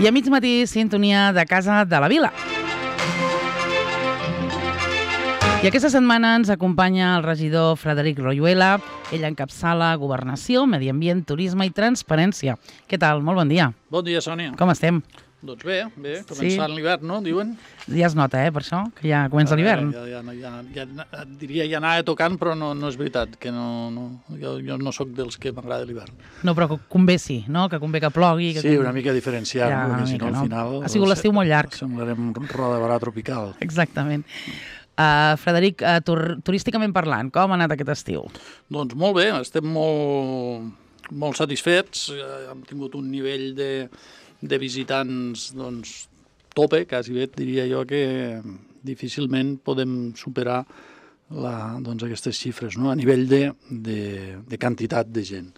I a mig matí, sintonia de Casa de la Vila. I aquesta setmana ens acompanya el regidor Frederic Royuela. Ell encapçala Governació, Medi Ambient, Turisme i Transparència. Què tal? Molt bon dia. Bon dia, Sònia. Com estem? Doncs bé, començant l'hivern, no? Diuen? Ja es nota, per això, que ja comença l'hivern. Diria ja anava tocant, però no és veritat, que jo no sóc dels que m'agrada l'hivern. No, però convé sí, no? Que convé que plogui. Sí, una mica diferenciar, perquè si no al final... Ha sigut l'estiu molt llarg. Semblarem roda de barà tropical. Exactament. Frederic, turísticament parlant, com ha anat aquest estiu? Doncs molt bé, estem molt satisfets. Hem tingut un nivell de visitants tope, quasi bé, diria jo, que difícilment podem superar aquestes xifres, no? A nivell de quantitat de gent.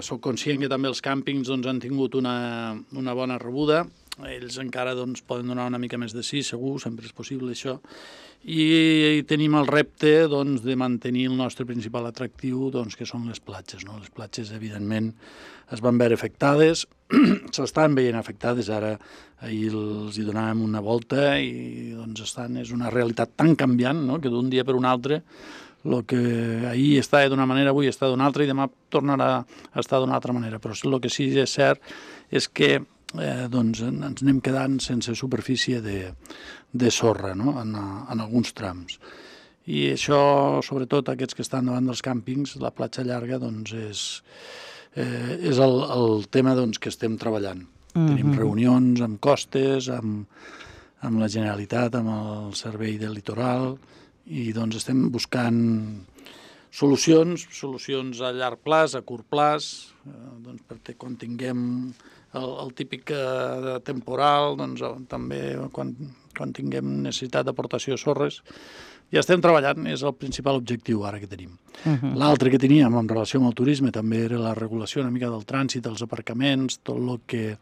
Soc conscient que també els càmpings han tingut una bona rebuda. Ells encara poden donar una mica més de sí, segur, sempre és possible això. I tenim el repte de mantenir el nostre principal atractiu, que són les platges. Les platges, evidentment, es van veure afectades, s'estan veient afectades, ara ahir els hi donàvem una volta i és una realitat tan canviant, que d'un dia per un altre el que ahir estava d'una manera, avui està d'una altra i demà tornarà a estar d'una altra manera. Però el que sí que és cert és que ens anem quedant sense superfície de sorra, no? en alguns trams. I això, sobretot aquests que estan davant dels càmpings, la platja llarga, és el tema que estem treballant. Tenim reunions amb costes, amb la Generalitat, amb el Servei del Litoral, i estem buscant solucions a llarg plaç, a curt plaç, perquè quan tinguem el típic temporal, també quan tinguem necessitat d'aportació de sorres, ja estem treballant, és el principal objectiu ara que tenim. L'altre que teníem en relació amb el turisme també era la regulació una mica del trànsit, dels aparcaments, tot el que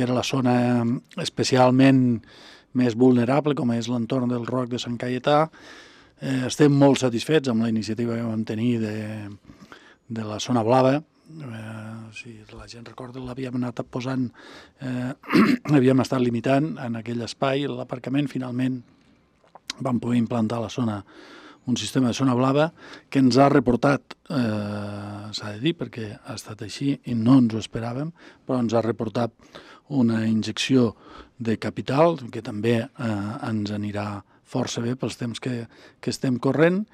era la zona especialment més vulnerable, com és l'entorn del Roc de Sant Caietà. Estem molt satisfets amb la iniciativa que vam tenir de la zona blava. Si la gent recorda, l'havíem anat posant, havíem estat limitant en aquell espai l'aparcament. Finalment vam poder implantar a la zona un sistema de zona blava que ens ha reportat, s'ha de dir perquè ha estat així i no ens ho esperàvem, però ens ha reportat una injecció de capital que també ens anirà força bé pels temps que estem corrent,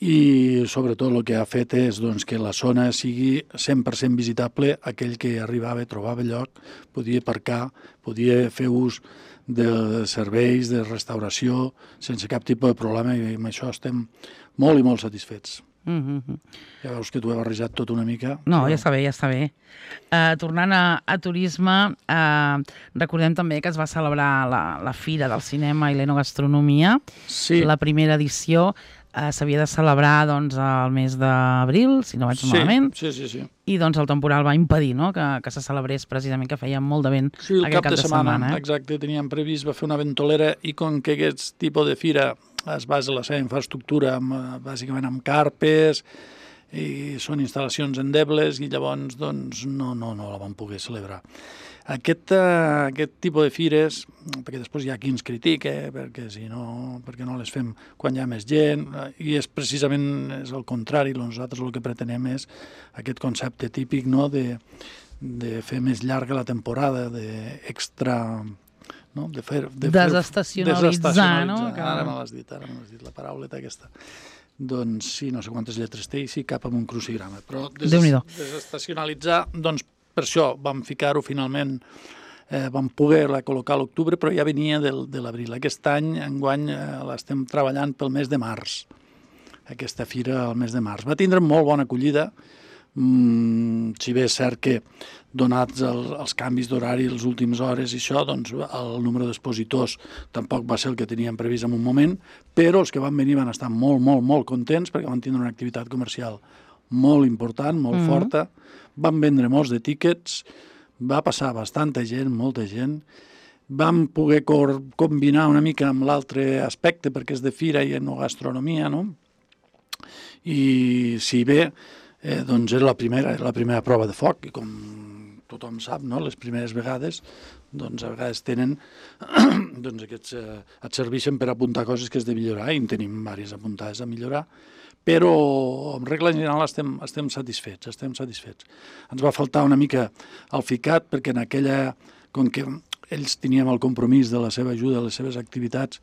i sobretot el que ha fet és que la zona sigui 100% visitable. Aquell que arribava, trobava lloc, podia aparcar, podia fer ús de serveis, de restauració, sense cap tipus de problema, i amb això estem molt i molt satisfets. Ja veus que t'ho he barrejat tot una mica. No, ja està bé. Tornant a turisme, recordem també que es va celebrar la Fira del Cinema i l'Enogastronomia. Sí. La primera edició s'havia de celebrar el mes d'abril, si no vaig malament. Sí. I el temporal va impedir que se celebrés, precisament, que feia molt de vent aquest cap de setmana. Exacte, teníem previst, va fer una ventolera, i com que aquest tipus de fira es basa la seva infraestructura bàsicament amb carpes, i són instal·lacions endebles, i llavors no la vam poder celebrar. Aquest tipus de fires, perquè després hi ha qui ens critica, perquè no les fem quan hi ha més gent, i és precisament el contrari. Nosaltres el que pretenem és aquest concepte típic de fer més llarga la temporada, d'extra... Desestacionalitzar, no? Ara me l'has dit, la parauleta aquesta. Doncs sí, no sé quantes lletres té, i sí, cap amb un crucigrama. Però desestacionalitzar, per això vam ficar-ho finalment, vam poder-la col·locar a l'octubre, però ja venia de l'abril. Aquest any, enguany, l'estem treballant pel mes de març, aquesta fira al mes de març. Va tindre molt bona acollida, si bé és cert que, donats els canvis d'horari les últimes hores i això, el número d'expositors tampoc va ser el que teníem previst en un moment, però els que van venir van estar molt, molt, molt contents perquè van tindre una activitat comercial molt important, molt forta. Van vendre molts de tíquets, va passar bastanta gent, molta gent. Vam poder combinar una mica amb l'altre aspecte, perquè és de fira i enogastronomia, no? I si bé, era la primera prova de foc, i com tothom sap, no? Les primeres vegades, doncs a vegades tenen, doncs aquests et serveixen per apuntar coses que has de millorar, i en tenim diverses apuntades a millorar, però en regla general estem satisfets. Ens va faltar una mica el ficat, perquè en aquella, com que ells teníem el compromís de la seva ajuda, les seves activitats,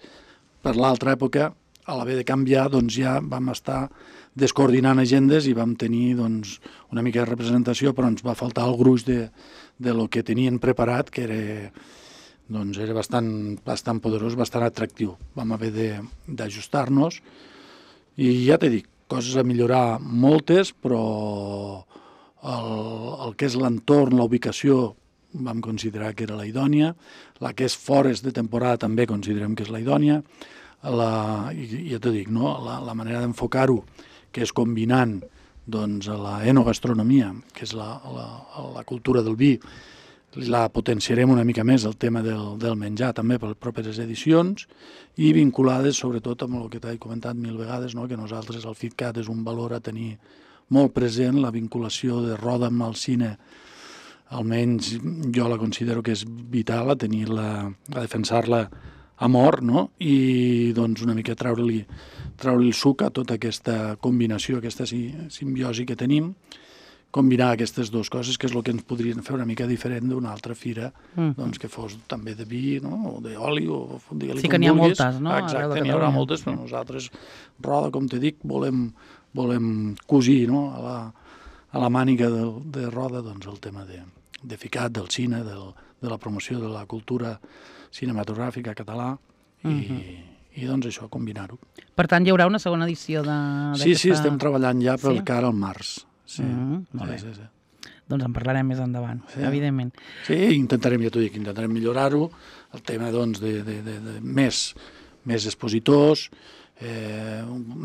per l'altra època, a l'haver de canviar, doncs ja vam estar descoordinant agendes i vam tenir doncs, una mica de representació, però ens va faltar el gruix de lo que tenien preparat, que era bastant poderós, bastant atractiu. Vam haver d'ajustar-nos i ja t'he dit, coses a millorar moltes, però el que és l'entorn, la ubicació, vam considerar que era la idònia, la que és fora de temporada també considerem que és la idònia, ja t'ho dic, no? La manera d'enfocar-ho, que és combinant doncs, la enogastronomia, que és la cultura del vi, la potenciarem una mica més, el tema del menjar també per les properes edicions, i vinculades sobretot amb el que t'he comentat 1000 vegades, no? Que nosaltres el FitCat és un valor a tenir molt present, la vinculació de Roda amb el cine, almenys jo la considero que és vital, a defensar-la a mort, no? I doncs una mica treure-li el suc a tota aquesta combinació, aquesta simbiosi que tenim, combinar aquestes dues coses, que és el que ens podrien fer una mica diferent d'una altra fira, doncs que fos també de vi, no? O d'oli, o digue-li com vulguis. Sí que n'hi ha moltes, no? Exacte, n'hi haurà moltes, però nosaltres, Roda, com t'he dit, volem cosir, no? A la màniga de Roda, doncs el tema de FICAT, del cine, de la promoció de la cultura cinematogràfica català, i doncs això, combinar-ho. Per tant, hi haurà una segona edició d'aquesta... Sí, estem treballant ja pel cara al març. Sí. Molt bé. Doncs en parlarem més endavant, evidentment. Sí, intentarem, ja t'ho dic, millorar-ho, el tema doncs de més expositors,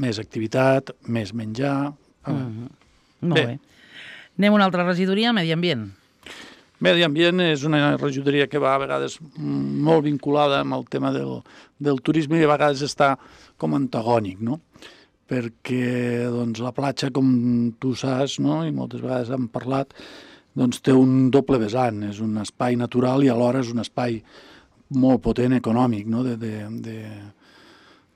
més activitat, més menjar... Molt bé. Anem a una altra regidoria, Medi Ambient. Medi Ambient és una regidoria que va a vegades molt vinculada amb el tema del turisme i a vegades està com antagònic, no? Perquè doncs, la platja, com tu saps, no? I moltes vegades hem parlat, doncs, té un doble vessant. És un espai natural i alhora és un espai molt potent econòmic, no?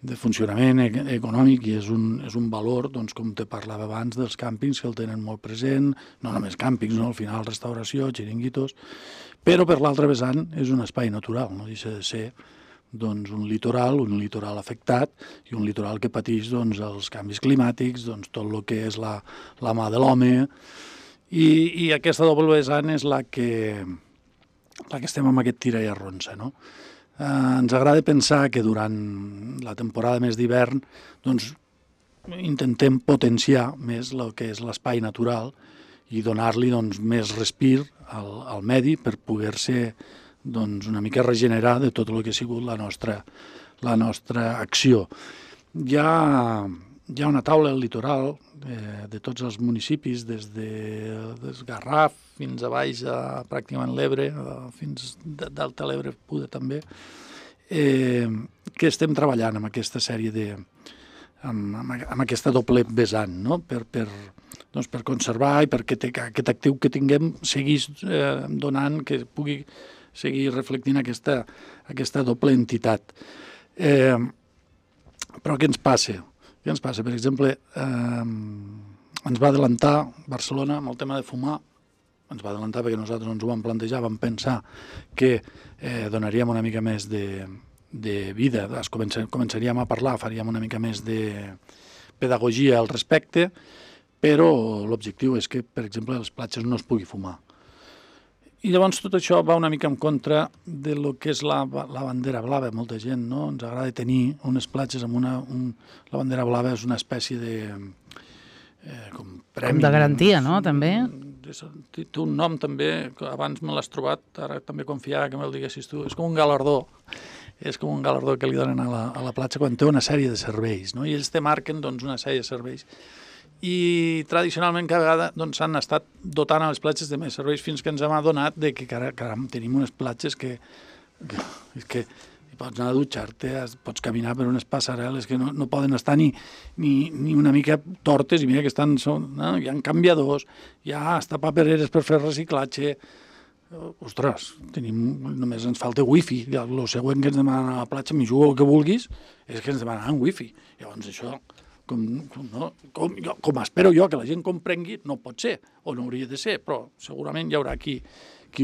De funcionament econòmic, i és un valor, doncs, com te parlava abans, dels càmpings, que el tenen molt present, no només càmpings, no? Al final restauració, xiringuitos, però per l'altre vessant és un espai natural, no deixa de ser doncs, un litoral afectat i un litoral que pateix doncs, els canvis climàtics, doncs, tot el que és la mà de l'home, i aquesta doble vessant és la que estem amb aquest tira i arronsa, no? Ens agrada pensar que durant la temporada més d'hivern doncs, intentem potenciar més el que és l'espai natural i donar-li doncs, més respir al medi per poder-se doncs, una mica regenerar de tot el que ha sigut la nostra acció. Hi ha una taula al litoral de tots els municipis, des de Garraf fins a baix, pràcticament l'Ebre, fins d'Alta l'Ebre, Puda també, que estem treballant amb aquesta sèrie amb aquesta doble vessant, no? Per conservar i perquè aquest actiu que tinguem seguís donant, que pugui seguir reflectint aquesta doble entitat. Però què ens passa? Per exemple, ens va adelantar Barcelona amb el tema de fumar, ens va adelantar perquè nosaltres ens ho vam plantejar, vam pensar que donaríem una mica més de vida, començaríem a parlar, faríem una mica més de pedagogia al respecte, però l'objectiu és que, per exemple, a les platges no es pugui fumar. I llavors tot això va una mica en contra de lo que és la bandera blava. Molta gent, no? Ens agrada tenir unes platges amb la bandera blava és una espècie de com premi. Com de garantia, no? També? Té un nom també, abans me l'has trobat, ara també confiava que me'l diguessis tu. És com un galardó. És com un galardó que li donen a la platja quan té una sèrie de serveis, no? I ells te marquen doncs, una sèrie de serveis. I tradicionalment cada vegada doncs, s'han estat dotant a les platges de més serveis fins que ens hem adonat que caram, tenim unes platges que pots anar a dutxar-te, pots caminar per unes passarel·les que no poden estar ni una mica tortes, i mira que estan, no? Hi ha canviadors, hi ha hasta papereres per fer reciclatge, ostres, només ens falta wifi. El següent que ens demanen a la platja, m'hi jugo el que vulguis, és que ens demanen wifi. Llavors això, com espero jo que la gent comprengui, no pot ser, o no hauria de ser, però segurament hi haurà qui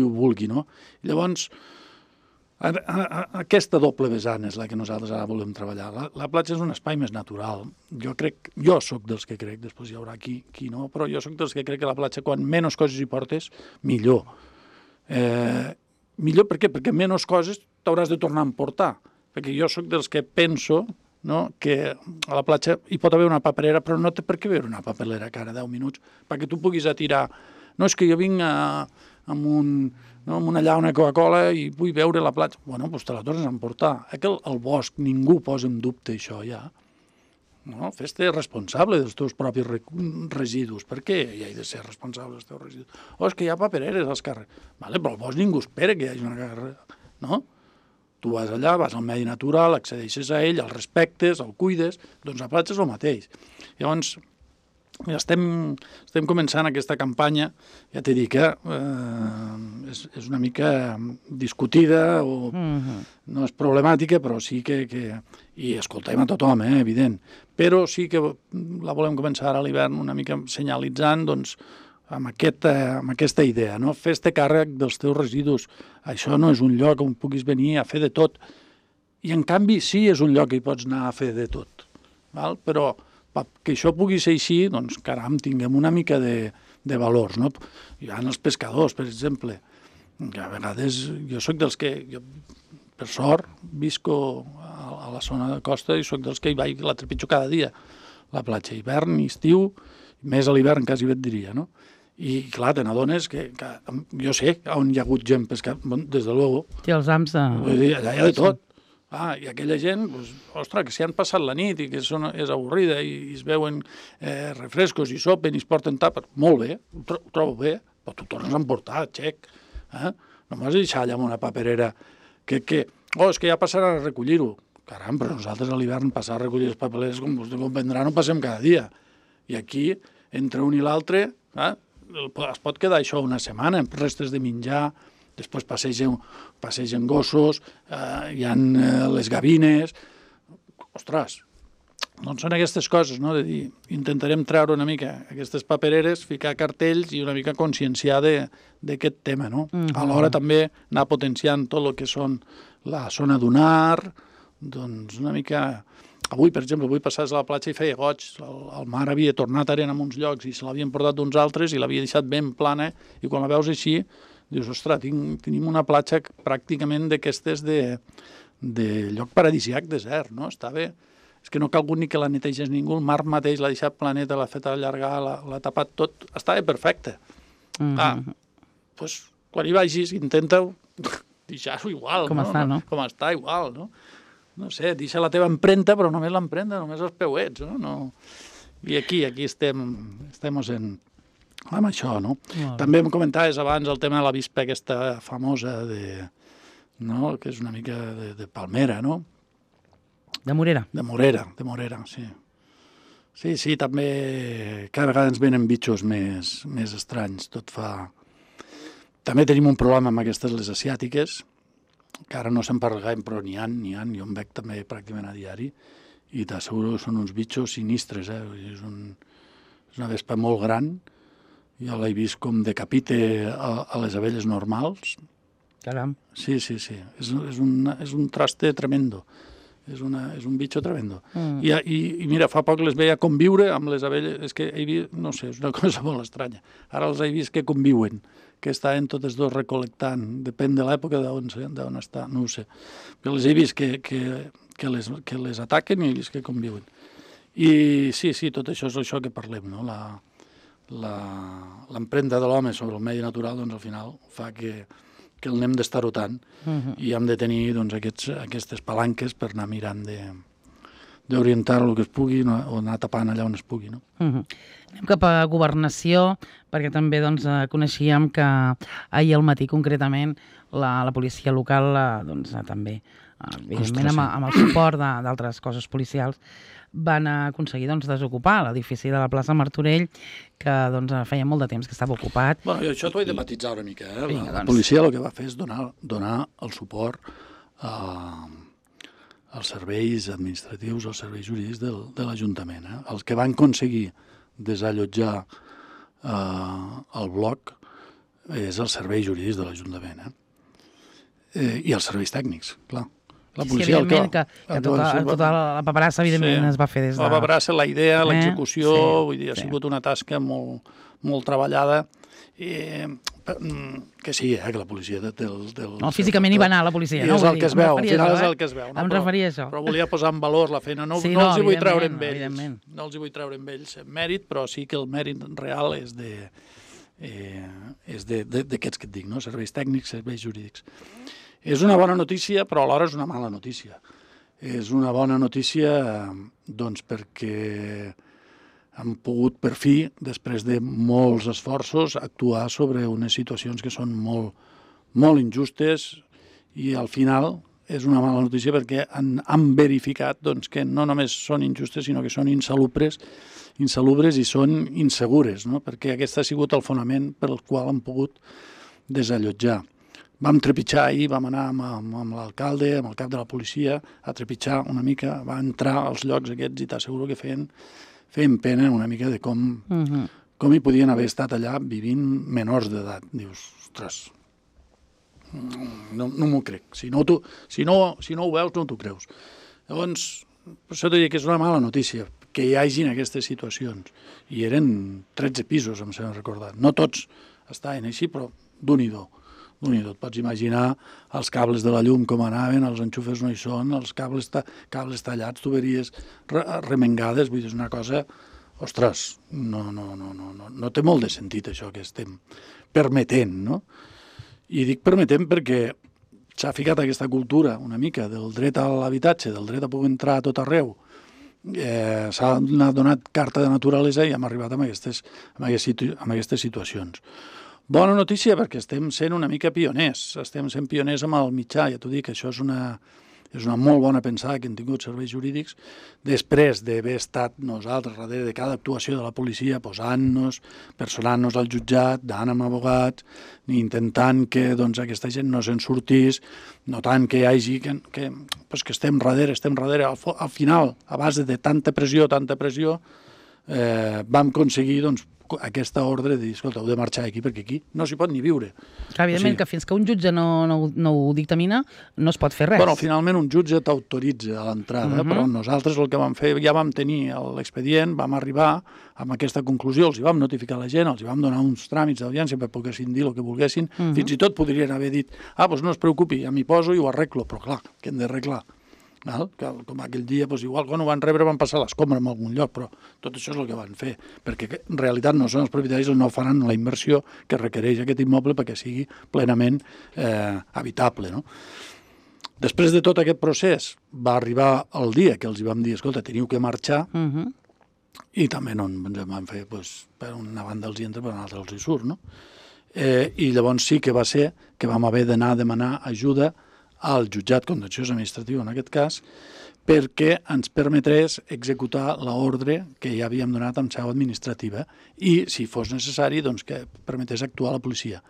ho vulgui, no? Llavors, aquesta doble vessant és la que nosaltres ara volem treballar. La platja és un espai més natural. Jo sóc dels que crec, després hi haurà qui no, però jo sóc dels que crec que la platja, quan menys coses hi portes, millor. Millor per què? Perquè menys coses t'hauràs de tornar a emportar. Perquè jo sóc dels que penso, no, que a la platja hi pot haver una paperera, però no té per què haver una paperera cada 10 minuts, perquè tu puguis atirar. No, és que jo vinc amb una llauna de Coca-Cola i vull veure la platja. Bueno, doncs te la tornes a emportar. El bosc, ningú posa en dubte això ja. No? Fes-te responsable dels teus propis residus. Per què hi has de ser responsable dels teus residus? És que hi ha papereres als carrers. Vale, però al bosc ningú espera que hi hagi una carrera. No? Tu vas allà, vas al medi natural, accedeixes a ell, el respectes, el cuides, doncs la platja és el mateix. Llavors, estem començant aquesta campanya, ja t'he dit que és una mica discutida o no és problemàtica, però sí que i escoltem a tothom, evident, però sí que la volem començar ara a l'hivern una mica senyalitzant, doncs, amb aquesta idea, no? Fes-te càrrec dels teus residus. Això no és un lloc on puguis venir a fer de tot. I, en canvi, sí és un lloc que hi pots anar a fer de tot. Val? Però que això pugui ser així, doncs, caram, tinguem una mica de valors, no? Hi ha els pescadors, per exemple, que a vegades jo sóc dels que, per sort, visco a la zona de costa i sóc dels que hi vaig la trepitjo cada dia, la platja, hivern i estiu, més a l'hivern quasi et diria, no? I, clar, te n'adones que jo sé on hi ha hagut gent pescant, des de luego. Sí, els ams de... Vull dir, allà hi ha de tot. I aquella gent, ostres, que s'hi han passat la nit i que és avorrida i es veuen refrescos i sopen i es porten tàpers, molt bé, ho trobo bé, però tu tornes a emportar, xec. No m'has de deixar allà amb una paperera és que ja passaran a recollir-ho. Caram, però nosaltres a l'hivern passar a recollir les papereres, com vostè comprendrà, no passem cada dia. I aquí, entre un i l'altre, es pot quedar això una setmana, restes de menjar, després passegen gossos, hi ha les gavines. Ostres, doncs són aquestes coses, no? De dir, intentarem treure una mica aquestes papereres, ficar cartells i una mica conscienciar d'aquest tema, no? Alhora també anar potenciant tot el que són la zona dunar, doncs una mica... Avui, per exemple, passaves a la platja i feia goig. El mar havia tornat arena en uns llocs i se l'havien portat d'uns altres i l'havia deixat ben plana, i quan la veus així dius, ostres, tenim una platja pràcticament d'aquestes de lloc paradisiac desert, no? Està bé. És que no ha calgut ni que la netegés ningú, el mar mateix l'ha deixat planeta, l'ha fet allargar, l'ha tapat tot, estava perfecte. Doncs quan hi vagis, intenta deixar-ho igual, com està, no? Com està, igual, no? No sé, deixa la teva empremta, però només l'empremta, només els peuets, no? I aquí estem amb això, no? També em comentaves abans el tema de l'avispa aquesta famosa que és una mica de palmera, no? De Morera. De Morera, sí. Sí, també cada vegada ens venen bitxos més estranys, tot fa... També tenim un problema amb aquestes, les asiàtiques, que ara no se'n parla gaire, però n'hi ha, jo em veig també pràcticament a diari, i t'asseguro que són uns bitxos sinistres, és una vespa molt gran, jo l'he vist com decapite a les abelles normals. Caram. Sí, és un traste tremendo, és un bitxo tremendo. I mira, fa poc les veia conviure amb les abelles, és que he vist, no sé, és una cosa molt estranya, ara els he vist que conviuen, que estaven totes dos recol·lectant, depèn de l'època d'on està, no ho sé. Però les he vist que les ataquen i he vist que conviuen. I sí, tot això és això que parlem, no? L'empremta de l'home sobre el medi natural, doncs al final fa que el anem d'estarotant i hem de tenir aquestes palanques per anar mirant d'orientar el que es pugui o anar tapant allà on es pugui, no? Anem cap a Governació, perquè també coneixíem que ahir al matí concretament la policia local també evidentment amb el suport d'altres cossos policials, van aconseguir desocupar l'edifici de la plaça Martorell, que feia molt de temps que estava ocupat. Bueno, jo això t'ho he de matitzar una mica. La policia el que va fer és donar el suport als serveis administratius, als serveis jurídics de l'Ajuntament. Els que van aconseguir desallotjar el bloc és els serveis jurídics de l'Ajuntament. I els serveis tècnics, clar. La policia, evidentment, que tota la paperassa, evidentment, es va fer des de... La paperassa, la idea, l'execució, vull dir, ha sigut una tasca molt treballada, que sí, que la policia... No, físicament hi va anar la policia, no? És el que es veu, al final és el que es veu. Em referia a això. Però volia posar en valor la feina, no els hi vull treure amb ells. No els hi vull treure amb ells mèrit, però sí que el mèrit real és d'aquests que et dic, serveis tècnics, serveis jurídics. És una bona notícia, però alhora és una mala notícia. És una bona notícia perquè hem pogut, per fi, després de molts esforços, actuar sobre unes situacions que són molt injustes i al final és una mala notícia perquè han verificat que no només són injustes, sinó que són insalubres i són insegures, perquè aquest ha sigut el fonament per el qual han pogut desallotjar. Vam trepitjar ahir, vam anar amb l'alcalde, amb el cap de la policia, a trepitjar una mica, va entrar als llocs aquests i t'asseguro que feien pena una mica de com hi podien haver estat allà vivint menors d'edat. Dius, ostres, no m'ho crec. Si no ho veus, no t'ho creus. Llavors, per això t'ho dic que és una mala notícia que hi hagin aquestes situacions. I eren 13 pisos, em sembla recordar. No tots estaven així, però d'un-i-do. Et pots imaginar els cables de la llum com anaven, els enxufes no hi són, els cables tallats, tuberies remengades, vull dir, és una cosa... Ostres, no té molt de sentit això que estem permetent, no? I dic permetent perquè s'ha ficat aquesta cultura una mica del dret a l'habitatge, del dret a poder entrar a tot arreu, s'ha donat carta de naturalesa i hem arribat a aquestes situacions. Bona notícia perquè estem sent una mica pioners, estem sent pioners amb el mitjà, ja t'ho dic, això és una molt bona pensada que hem tingut serveis jurídics, després d'haver estat nosaltres darrere de cada actuació de la policia, posant-nos, personant-nos al jutjat, anant amb abogats, intentant que aquesta gent no se'n sortís, notant que hi hagi, que estem darrere, al final, a base de tanta pressió, vam aconseguir, aquesta ordre de dir, escolta, heu de marxar aquí perquè aquí no s'hi pot ni viure. Evidentment que fins que un jutge no ho dictamina no es pot fer res. Bueno, finalment un jutge t'autoritza a l'entrada, però nosaltres el que vam fer, ja vam tenir l'expedient, vam arribar amb aquesta conclusió, els hi vam notificar a la gent, els hi vam donar uns tràmits d'audiència per poguessin dir el que volguessin, fins i tot podrien haver dit, doncs no es preocupi, ja m'hi poso i ho arreglo, però clar, que hem d'arreglar. Com aquell dia, igual quan ho van rebre van passar l'escombra en algun lloc, però tot això és el que van fer, perquè en realitat no són els propietaris, no faran la inversió que requereix aquest immoble perquè sigui plenament habitable. Després de tot aquest procés va arribar el dia que els vam dir, escolta, teniu que marxar, i també no ens van fer, per una banda els hi entra, per una altra els hi surt, no? I llavors sí que va ser que vam haver d'anar a demanar ajuda al jutjat contenciós administratiu, en aquest cas, perquè ens permetrés executar l'ordre que ja havíem donat amb seu administrativa i, si fos necessari, que permetés actuar la policia.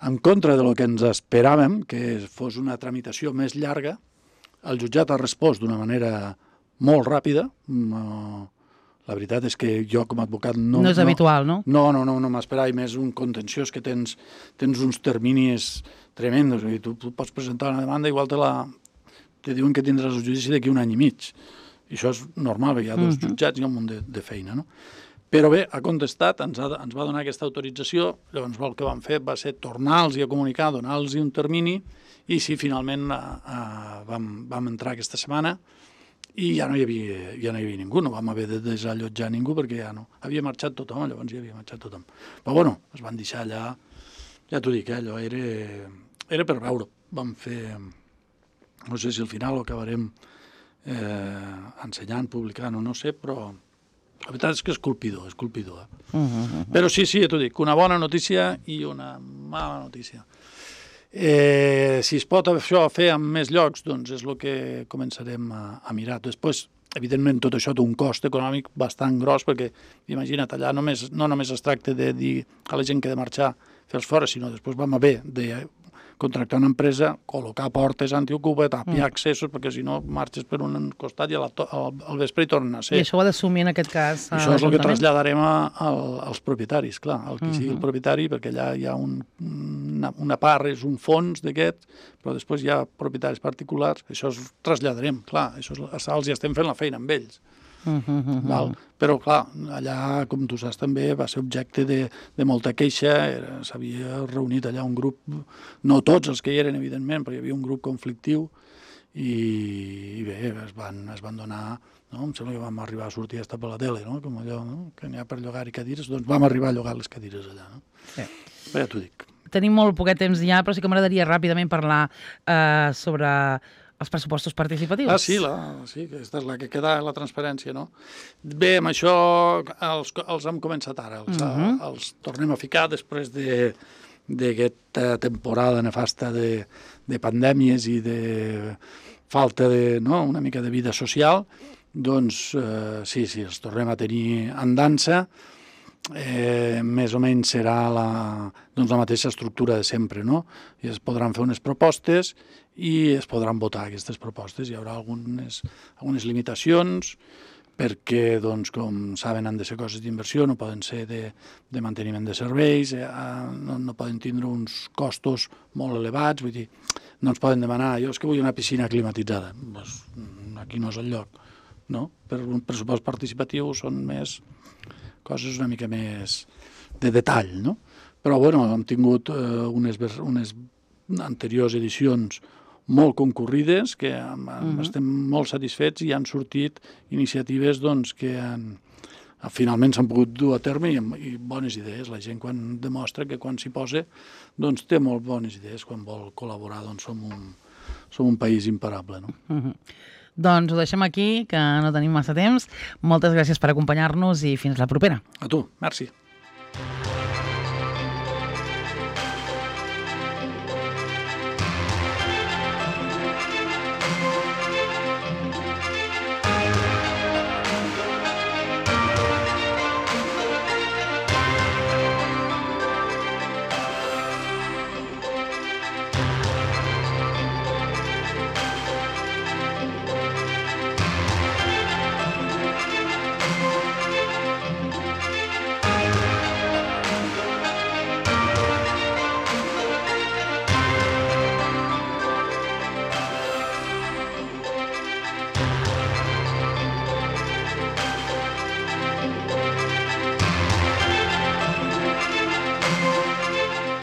En contra del que ens esperàvem, que fos una tramitació més llarga, el jutjat ha respost d'una manera molt ràpida. La veritat és que jo, com a advocat... No és habitual, no? No m'esperava, i més un contenciós que tens uns terminis tremendos. Tu pots presentar una demanda, igual te diuen que tindràs el judici d'aquí un any i mig. I això és normal, perquè hi ha dos jutjats i un munt de feina, no? Però bé, ha contestat, ens va donar aquesta autorització, llavors el que vam fer va ser tornar-los a comunicar, donar-los un termini, i sí, finalment vam entrar aquesta setmana, i ja no hi havia ningú, no vam haver de desallotjar ningú perquè ja no. Havia marxat tothom, llavors ja havia marxat tothom. Però bueno, es van deixar allà, ja t'ho dic, allò era per veure. Vam fer, no sé si al final ho acabarem ensenyant, publicant o no sé, però la veritat és que és colpidor. Però sí, ja t'ho dic, una bona notícia i una mala notícia. Si es pot això fer en més llocs, doncs és el que començarem a mirar. Després, evidentment, tot això té un cost econòmic bastant gros, perquè, imagina't, allà no només es tracta de dir a la gent que ha de marxar, fer-los fora, sinó després vam haver de contractar una empresa, col·locar portes antiocupa, tapiar accessos, perquè si no marxes per un costat i al vespre hi tornen a ser. I això ho ha d'assumir en aquest cas això és el que traslladarem als propietaris, clar, al qui sigui el propietari, perquè allà hi ha una part, és un fons d'aquest, però després hi ha propietaris particulars, això es traslladarem, clar, els hi estem fent la feina amb ells. Val? Però clar, allà, com tu saps també, va ser objecte de molta queixa, s'havia reunit allà un grup, no tots els que hi eren, evidentment, però hi havia un grup conflictiu i bé, es van donar, no? Em sembla que vam arribar a sortir a per la tele, no? Com allò, no? Que n'hi ha per llogar-hi cadires, doncs vam arribar a llogar les cadires allà. No? Sí. Bé, ja t'ho dic. Tenim molt poquet temps ja, però sí que m'agradaria ràpidament parlar sobre els pressupostos participatius. Sí, aquesta és la que queda, la transparència, no? Bé, amb això els hem començat ara, els tornem a ficar després d'aquesta temporada nefasta de pandèmies i de falta una mica de vida social, doncs sí, els tornem a tenir en dansa. Més o menys serà la mateixa estructura de sempre, no? I es podran fer unes propostes i es podran votar aquestes propostes. Hi haurà algunes limitacions perquè, doncs, com saben, han de ser coses d'inversió, no poden ser de manteniment de serveis, no poden tindre uns costos molt elevats, vull dir, no ens poden demanar, jo és que vull una piscina climatitzada, doncs aquí no és el lloc, no? Per un pressupost participatiu són més coses una mica més de detall, no? Però, bueno, hem tingut unes anteriors edicions molt concurrides, que estem molt satisfets i han sortit iniciatives doncs, que finalment s'han pogut dur a terme i bones idees. La gent quan demostra que quan s'hi posa doncs, té molt bones idees. Quan vol col·laborar doncs, som un país imparable, no? Doncs ho deixem aquí, que no tenim massa temps. Moltes gràcies per acompanyar-nos i fins la propera. A tu, merci.